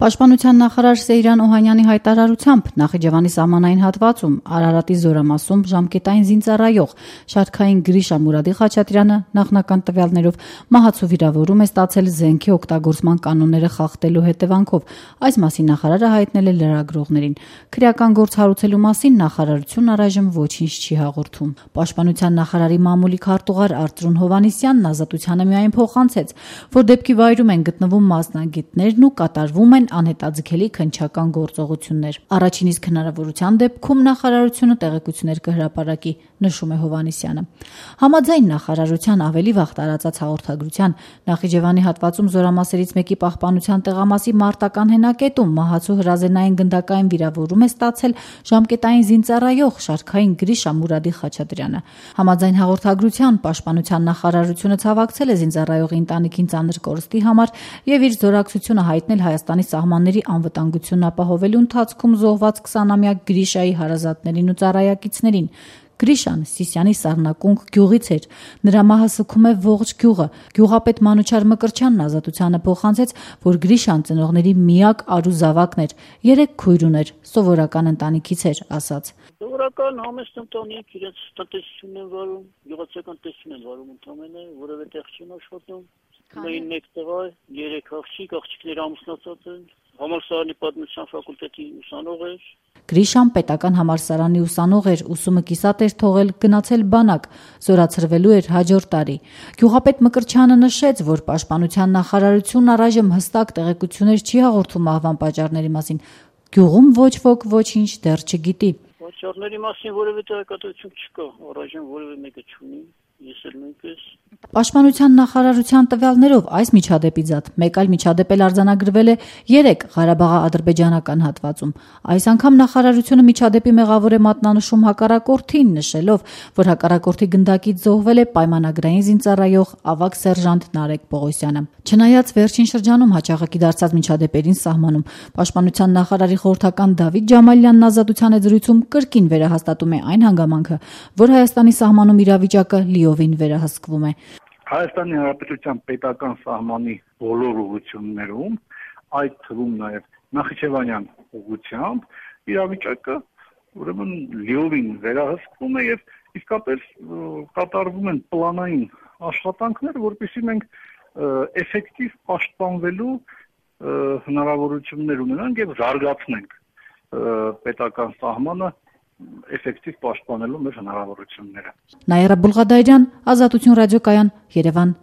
Պաշտպանության նախարար Սեյրան Օհանյանի հայտարարությամբ Նախիջևանի սահմանային հատվածում Արարատի զորամասում ժամկետային զինծառայող շարքային Գրիշա Մուրադի Խաչատրյանը նախնական տվյալներով մահացու վիրավորում է ստացել զենքի օգտագործման կանոնները խախտելու հետևանքով։ Այս մասին նախարարը հայտնել է լրագրողներին։ Քրեական գործ հարուցելու մասին նախարարությունն առայժմ ոչինչ չի հաղորդում։ Պաշտպանության նախարարի մամուլի քարտուղար Արծրուն Հովհաննիսյանն Ազատությանը միայն փոխանցեց, որ դեպքի վայրում են գտնվում մասնագետներն ու կատարվում են անհետաձգելի քննչական գործողություններ։ Առաջին իսկ հնարավորության դեպքում նախարարությունը տեղեկություններ կհրապարակի, նշում է Հովհաննիսյանը։ Համաձայն նախարարության ավելի վաղ տարածած հաղորդագրության Նախիջևանի հատվածում զորամասերից մեկի պահպանության տեղամասի մարտական հենակետում մահացու հրազենային գնդակային վիրավորում է ստացել ժամկետային զինծառայող շարքային Գրիշա Մուրադի Խաչատրյանը։ Համաձայն հաղորդագրության պաշտպանության նախարարությունը ցավակցել է զինծառայողի ընտանիքին ծանր կորստի համար եւ իր զորակցությունը հայտնել Հայաստանի սահմանների անվտանգությունն ապահովելու ընթացքում զոհված 20-ամյա Գրիշայի հարազատներին ու ծառայակիցներին։ Գրիշան Սիսյանի Սառնակունք գյուղից էր։ Նրա մահը սգում է ողջ գյուղը։ Գյուղապետ Մանուչար Մկրտչյանն Ազատությանը փոխանցեց, որ Գրիշան ծնողների միակ արու զավակն էր, 3 քույր ուներ, սովորական ընտանիքից էր, ասաց։ Սովորական համեստ ընտանիք, իրենց տնտեսությունն են վարում, գյուղացիական տնտեսություն են վարում ընդամենը, որևէ տեղ չեն աշխատում։ Ունեին մեկ տղա, 3 աղջիկները ամուսնացած են։ Համալսարանի պատմության ֆակուլտետի ուսանող էր։ Գրիշան պետական համալսարանի ուսանող էր, ուսումը կիսատ էր թողել, գնացել բանակ, զորացրվելու էր հաջորդ տարի։ Գյուղապետ Մկրտչյանը նշեց, որ պաշտպանության նախարարությունն առայժմ հստակ տեղեկություններ չի հաղորդում մահվան պատճառների մասին։ Գյուղում ոչ ոք ոչինչ դեռ չգիտի։ Պատճառների մասին որևէ տեղեկատվություն չկա, առայժմ որևէ մեկը չունի։ Ես էլ նույնպես։ Պաշտպանության նախարարության տվյալներով այս միջադեպից զատ մեկ այլ միջադեպ էլ արձանագրվել է 3 Ղարաբաղի-ադրբեջանական հատվածում։ Այս անգամ նախարարությունը միջադեպի մեղավոր է մատնանշում հակառակորդին, նշելով, որ հակառակորդի գնդակից զոհվել է պայմանագրային զինծառայող ավագ սերժանտ Նարեկ Պողոսյանը։ Չնայած վերջին շրջանում հաճախակի դարձած միջադեպերին սահմանում պաշտպանության նախարարի խորհրդական Դավիթ Ջամալյանն Ազատության զրույցում կրկին վերահաստատում է այն հանգամանքը, որ Հայաստանի սահմանում իրավիճակը լիովին վերահսկվում է։ Հայաստանի Հանրապետության պետական սահմանի բոլոր ուղղություններում, այդ թվում նաև Նախիջևանյան ուղղությամբ, իրավիճակը ուրեմն լիովին վերահսկվում է եւ իսկապես կատարվում են պլանային աշխատանքներ, որպեսզի մենք էֆեկտիվ պաշտպանվելու հնարավորություններ ունենանք եւ զարգացնենք պետական սահմանը էֆեկտիվ պաշտպանելու մեր հնարավորությունները։ Նաիրա Բուլղադարյան, Ազատություն ռադիոկայան, Երևան։